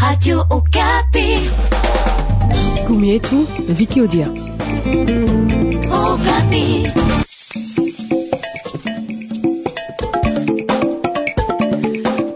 Radio Okapi. Gumi yetu Viki Odia. Okapi.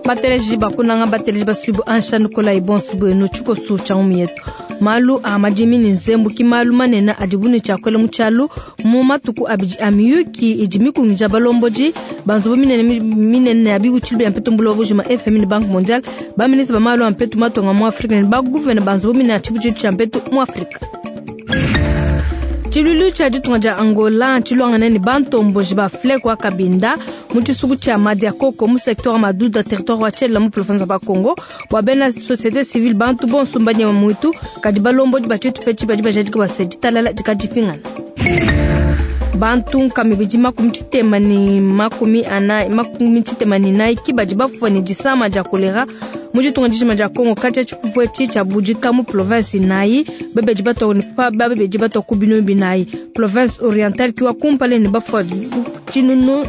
Bateleji bakunanga bateleji basubu ansha nukola ibonsu bwenu tshikosu tsha ngumi yetu. Malu a madimi ne nzembu ki malu manene adibu ne tshiakuela mu tshialu mu matuku abidi a miyuki idi mikungija balombodi ba nzubu minene minene ya bibutshilu bia mpetu mbuloba bujima FMI ne Banque mondiale, ba ministre ba malu a mpetu matonga mu Afrika ne ba gouverne ba nzubu minene ya tshibutshilu tshia mpetu mu Afrika. Tshiluilu tshia ditunga dia Angola tshiluangane ne bantomboji ba FLEC wa Kabinda mu tshisuku tshia Madiakoko mu secteur wa Maduda territoire wa Tshela mu province wa Bakongo. Bua bena société civile bantu bonso mbanyema muitu kadi balombodi ba tshitupa etshi badi bajadika bua se ditalala dikadipingana. Bantu nkama ibidi makumi tshitema ne makumi anayi, makumi tshitema ne inayi ki badi bafua ne disama dia kolera mu ditunga dijima dia Kongo. Katshia tshipupu etshi tshiabudika mu province inayi, babedi batua ne pa, babedi batua ku binunu binayi. Province orientale ki wa kumpala ne bafua tshinunu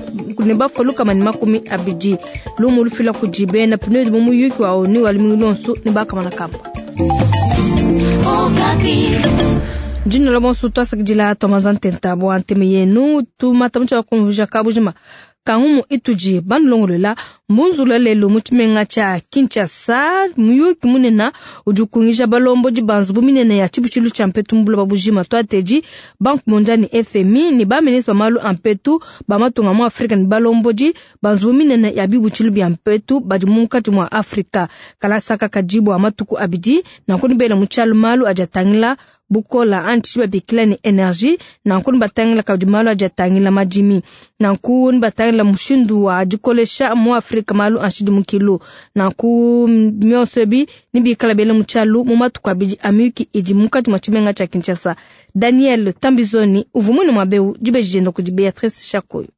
ne bafua lukama ne makumi abidi. Lumu lufila kudi bena PNUD mu muyuki wa ONU wa lumingu luonso ne bakamana kamba. Dino la bonso twasakidila twamanza ntenta bua nteme yenu tumata mutsha kumvuja kabujima kangumu itudi banulongolola mbunzula lelu mu tshimenga tshia Kinshasa. Muyuki munene udi ukungija balombodi ba nzubu minene ya tshibutshilu tshia mpetu mu buloba bujima. Twatedi Banque mondiale ne FMI ne ba ministre ba malu a mpetu ba matunga mu Afrika ne balombodi ba nzubu minene ya bibutshilu bia mpetu badi munkatshi mua Afrika. Kalasaka kadi bua matuku abidi nanku nibela mu tshialu malu adi atangila bukola anti babikila ne energie, nanku nibatangila kabidi malu adi atangila madimi, nanku nibatangila mushindu wa dikolesha mu Afrika malu a nshidimukilu, nanku mionso ebi nibikala bela mu tshialu mu matuku abidi a miyuki idi munkatshi mua tshimenga tshia Kinshasa. Daniel Tambizoni uvua muine muaba eu dibeji dienda kudi Beatrice Shakoyo.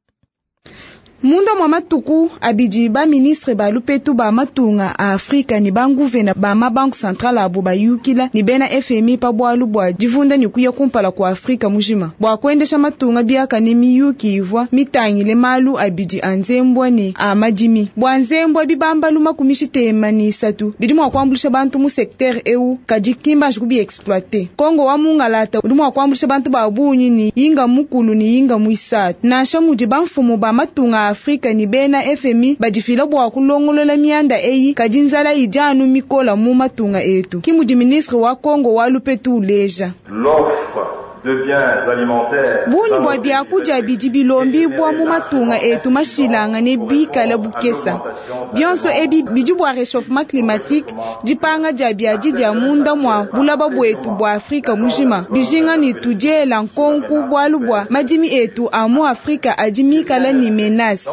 Munda mwa matuku abidi ba ministre ba lupetu ba matunga a Afrika ne ba nguvena ba ma banque centrale abo bayukila ne bena FMI pa bualu bua divunda ne kuya kumpala kua Afrika mujima bua kuendesha matunga biakane. Miyuki ivua mitangile malu abidi a nzembwa ne a madimi. Bua nzembwa bibambalu makumi tshitema ne isatu bidi mua kuambuluisha bantu mu secteur eu, kadi kimbanji kubi exploiter. Kongo wa mungalata udi mua kuambuluisha bantu ba bungi ne yinga mukulu ne yinga muisatu. Nansha mudi bamfumu ba matunga a Afrika ne bena FMI badifila bua kulongolola mianda eyi, kadi nzala idi anu mikola mu matunga etu. Ki mudi ministre wa Kongo wa lupetu uleja. L'offre de biens alimentaires Bungi bua biakudia bidi bilombibua mu matunga etu mashilangane bikala bukesa. Bionso ebi bidi bua réchauffement climatique, dipanga dia biadi dia munda mua bulaba buetu bua Afrika mujima. Bijinga ne tudiela nkonku bualu bua madimi etu a mu Afrika adi mikala ne menace.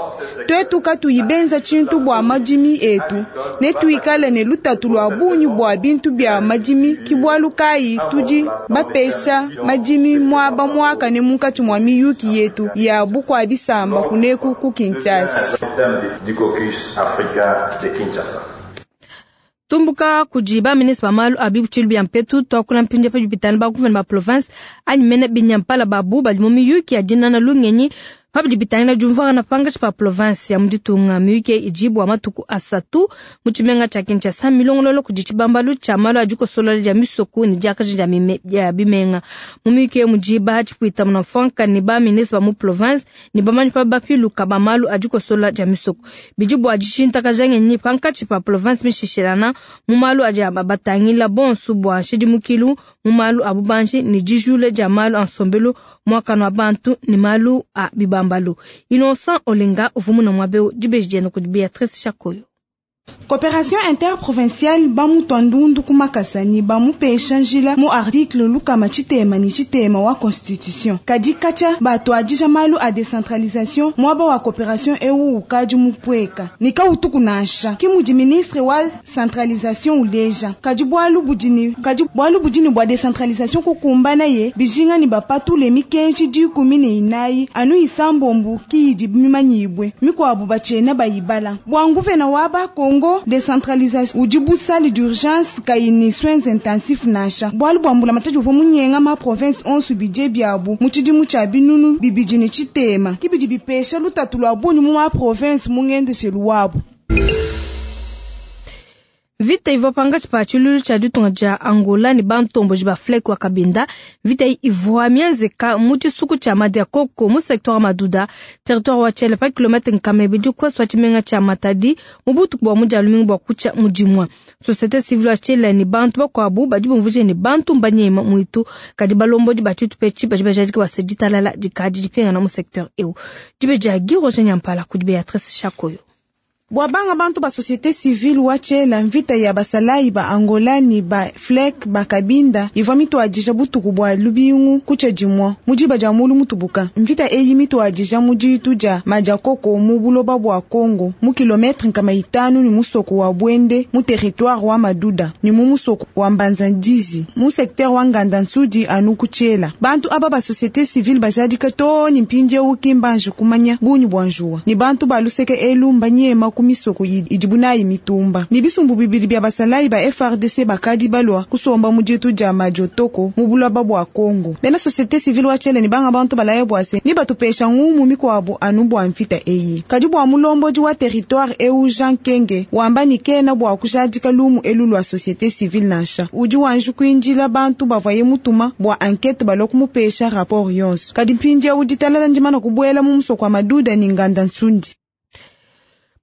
Tuetu katuyi benza tshintu bua madimi etu, ne tuikale ne lutatu lua bungi bua bintu bia madimi. Ki bualu kayi tudi bapesha madimi muaba muakane munkatshi mua miyuki yetu ya bukua bisamba kuneku ku Kinshasa. Du caucus africain de Kinshasa. Tumbuka kudi ba ministre ba malu a bibutshilu bia mpetu tuakula mpindia pa bipitana ba gouverne ba province anyi mene binyampala babu badi mu miyuki ya dinana lungenyi pabidi bitangila diumvuangana pangatshi pa province ya mu ditunga. Miyuki idi bua matuku asatu mu tshimenga tshia Kinshasa milongololo kudi tshibambalu tshia malu a dikosolola dia misoko ne diakaja dia mime, dia bimenga. Mu miyuki mudi ba tshipuita muna ne ba ministre ba mu province ne bamanyi pa bapiluka ba malu a dikosolola dia misoko. Bidi bua dishintakaja ngenyi pankatshi pa province mishishilana mu malu adi batangila bonso bua nshidimukilu mu malu a bubanji ne dijula dia malu a nsombelu muakano wa bantu ne malu a bibambalu. Innocent Olenga uvua muna muaba eu dibeji dienda kudi Beatrice Shakoyo. Coopération interprovinciale bamutua ndundu ku makasa ne bamupesha njila mu article lukama tshitema ne tshitema wa constitution. Kadi katshia batuadija malu a décentralisation muaba wa coopération eu ukadi mupueka ne kautuku nansha. Ki mudi ministre wa centralisation uleja. Kadi bualu budi ne, kadi bualu budi ne bua décentralisation kukumbana ye bijinga ne bapatule mikenji dikumi ne inayi anu isambombu ki idi mimanyibwe mikuabu batshiena bayibala. Bua nguvena wa ba Congo décentralisation udi busali d'urgence kayi ni soins intensifs nansha. Bualu bua mbulamatadi uvua munyenga ma province onso budget biabu mu tshidimu tshia binunu bibidi ne tshitema. Ki bidi bipesha lutatu lua bungi mu ma province mu ngendeshelu wabu. Mvita ivua pankatshi pa tshiluilu tshia ditunga dia Angola ne bantomboji ba FLEC wa Cabinda. Mvita eyi ivua mienzeka mu tshisuku tshia Madiakoko mu secteur wa Maduda, territoire wa Tshele, pa kilometre 200 ku ouest wa tshimenga tshia Matadi mu butuku bua mu dia lumingu bua kutshia mu dimue. Societe civile wa Tshele ne bantu bakuabu badi bumvuija ne, bantu mbanyema muitu, kadi balombodi ba tshitupa etshi badi bajadika bua se ditalala dikadi dipingana mu secteur eu. Dibe dia Guy Roger Nyampala kudi Beatrice Shakoyo. Bua banga bantu ba societe civile wa Tshela, mvita ya basalayi ba Angola ne ba FLEC ba Cabinda ivua mituadija butuku bua lubingu kutshia dimua mu diba dia mulu mutubuka. Mvita eyi mituadija mu ditu dia Madiakoko mu buloba bua Congo mu kilometre 500 ne musoko wa Bwende mu territoire wa Maduda ne mu musoko wa Mbanza-Ndizi mu secteur wa Nganda-Nsudi anu ku Tshela. Bantu aba ba societe civile bajadika too ne mpindieu ki mbanji kumanya bungi bua njuwa ne bantu ba luseke elu mbanyema ku misoko idibu nayi mitumba. Ne bisumbu bibidi bia basalayi ba FARDC bakadi balua kusomba mu ditu dia Madiotoko mu buloba bua Congo. Bena societe civile wa Tshele ne banga bantu balaya bua se ne batupesha ngumu mikuabu anu bua mvita eyi. Kadi bua mulombodi wa territoire eu Jean Kenge wamba ni kena bua kujadika lumu elu lua societe civile nansha. Udi wanji kuindila bantu bavaye mutuma bua enquête balua kumupesha rapport yonso. Kadi mpindieu ditalala ndimana kubuela mu musoko wa Maduda ne Nganda Nsundi.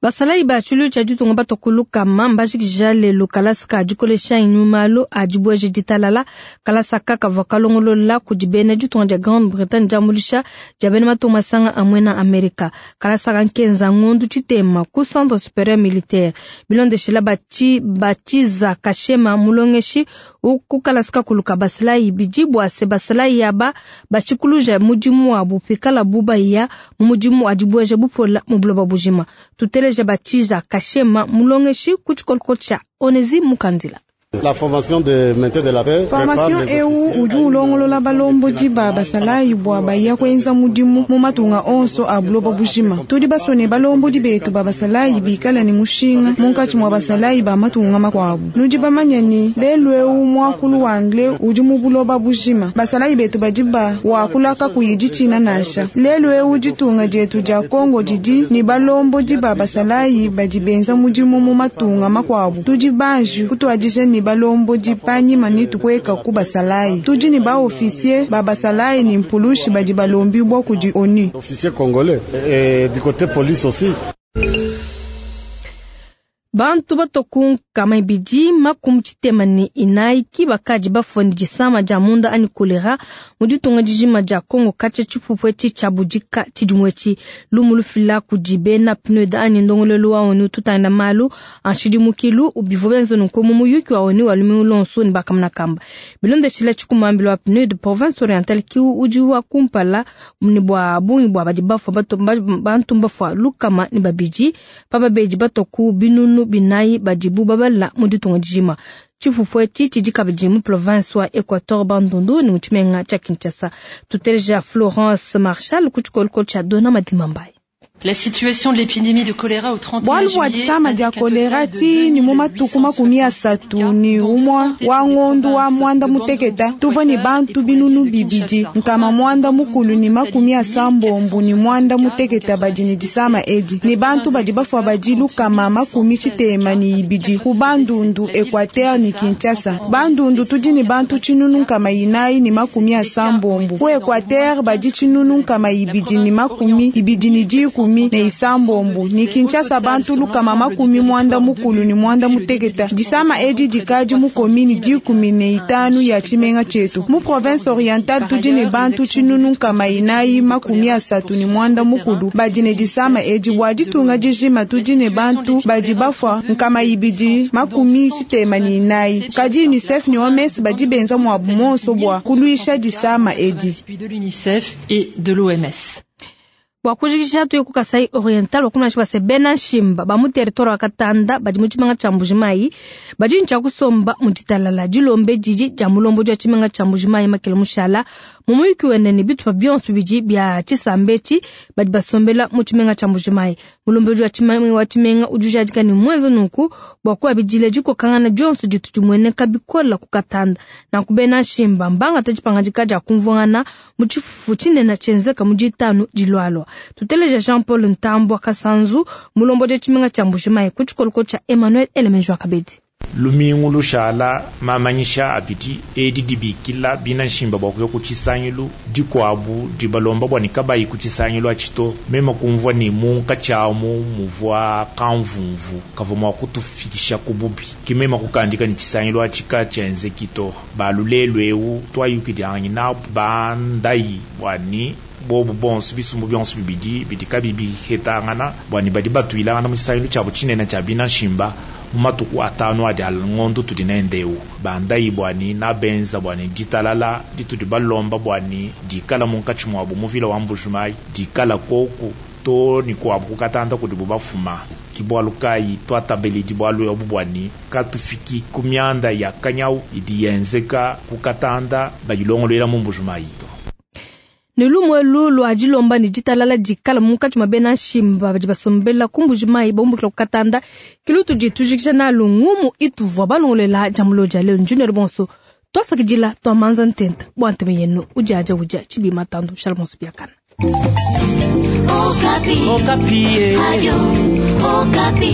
Basalayi ba tshiluilu tshia ditunga batokuluka mbajikija lelu kalasa ka dikolesha malu a dibueja ditalala. Kalasa aka kavua kalongolola kudi bena ditunga dia Grande-Bretagne diambuluisha dia bena matunga masanga a muena Amerika. Kalasa aka nkenza ngondu tshitema ku centre supérieur militaire. Bilondeshela batshiza kashema mulongeshi ku kalasa kakulu ka basalayi bidi bua se basalayi aba bashikuluja mudimu wabu pikala bubaya mu mudimu wa dibueja bupola mu buloba bujima. Tuteleja Batshiza Kashema mulongeshi ku tshikoloko tshia Onesi Mukandila. La formation de maintien de la paix. Formation eu udi ulongolola balombodi ba basalayi bua baya kuenza mudimu mu matunga onso a buloba bujima. Tudi basone balombodi betu ba basalayi bikala ne mushinga munkatshi mua basalayi ba matunga makuabu. Nudi bamanya ni lelu eu muakulu wa anglais udi mu buloba bujima. Basalayi betu badi ba wakula kakuyi ditshina nansha. Lelu eu ditunga dietu dia Congo didi ni balombodi ba basalayi badi benza mudimu mu matunga makuabu. Tudi banji kutuadija ni balombodi panyima ni tukweka ku basalayi. Tudi ni ba officier ba basalayi ni mpulushi badi balombibwa kudi ONU. Officier congolais et du côté police aussi. Bantu batoku 244 ki bakadi bafua ne disama dia munda anyi kolera mu ditunga dijima dia Congo katshia tshipupu etshi tshia budika tshidimu etshi. Lumu lufila kudi bena PNUD anyi ndongoluelu wa ONU tutanda malu a nshidimukilu bivua benza nunku mu muyuki wa ONU wa lumingu luonso ne bakamuna kamba. Bilondeshila tshikumambilo wa PNUD province orientale ki udi wa kumpala ne bua bungi bua badi bafua bantu mbafua 200 pa babedi batoku 400 badibu babala mu ditunga dijima. Tshipupu etshi tshidi kabidi mu province wa Equateur Bandundu ne mu tshimenga tshia Kinshasa. Tuteleja Florence Marshal ku tshikoloko tshia Dona Madimambayi. La situation de l'épidémie de choléra au 31 Bwalu bua juillet disama dia indique un kolera total de ti ni mu matuku 31 wa ngondo wa mwanda muteketa tuvua ni bantu 2989 badi ni disama edi ni bantu badi bafua badi 62 ku Bandundu Equateur ni Kinshasa. Bandundu tudi ni bantu 970 ku Equateur badi 2226 ni Kinshasa bantu 996. Disama edi dikadi mu komini 15 ya tshimenga tshietu. Mu province orientale tudi ne bantu 4436 badi ne disama edi. Bua ditunga dijima tudi ne bantu badi bafua 264. Kadi UNICEF ne OMS badi benza muabu monso bua kuluisha disama edi. de l'UNICEF et de l'OMS. Bua kujikisha tuye ku Kasai Oriental wakumanyisha bua se bena nshimba ba mu territoire wa Katanda badi mu tshimenga tshia Mbujimayi badi ne tshia kusomba mu ditalala. Dilombe didi dia mulombodi wa tshimenga tshia Mbujimayi Makele Mushala mu muyuki wende ne bitupa bionso bidi bia tshisamba etshi badi basombela mu tshimenga tshia Mbujimayi. Mulombodi wa tshimenga udi ujadika ne muenza nunku bua kuabidila dikokangana dionso ditu dimueneka bikola ku Katanda. Nanku bena nshimba mbangata dipangadika dia kumvuangana mu tshifufu tshinene tshienzeka mu ditanu dilualua. Tuteleja Jean-Paul Ntambwa Kasanzu mulombodi wa tshimenga tshia Mbujimayi ku tshikoloko tshia Emmanuel Elemenjo Kabedi. Lumingu lushala mamanyisha abidi edi dibikila bina nshimba bua kuya ku tshisangilu dikuabu dibalomba bua ne kabayi ku tshisangilu atshi to. Meme kumvua ne munkatshi amu muvua kamvumvu kavua mua kutufikisha ku bubi, ke meme kukandika ne tshisangilu atshi katshienzeki to. Balu lelu eu tuayukidianganyi nabu bandayi bua ne bobu bonso bisumbu bionso bibidi bidi kabiyi bihetangana bua ne badi batuilangana mu tshisangilu tshiabu tshinene tshia bina nshimba mu matuku atanu adi ngondo tudi nende eu. Bandayi bua ne nabenza bua ne ditalala ditudi balomba bua ne dikala munkatshi muabu mu vila wa Mbujimayi, dikala koku to ne kuabu kukatanda kudibu bafuma. Ke bualu kayi tuatabeledi bualu ebu bua ne katufiki ku mianda ya kanyau idi yenzeka kukatanda bayilongoluela mu Mbujimayi to. Ne lumu elu lua dilomba ne ditalala dikala munkatshi mua bena nshimba badi basombela ku Mbujimayi baumbukila ku Katanda, ke lutudi tujikija nalu ngumu ituvua balongolola dia mulo dia lelu. Njinelu bonso twasakidila twamanza ntenta bua ntema yenu udiadia udia tshibi matandu shala bonso biakana. Okapi. Okapi. Radio Okapi.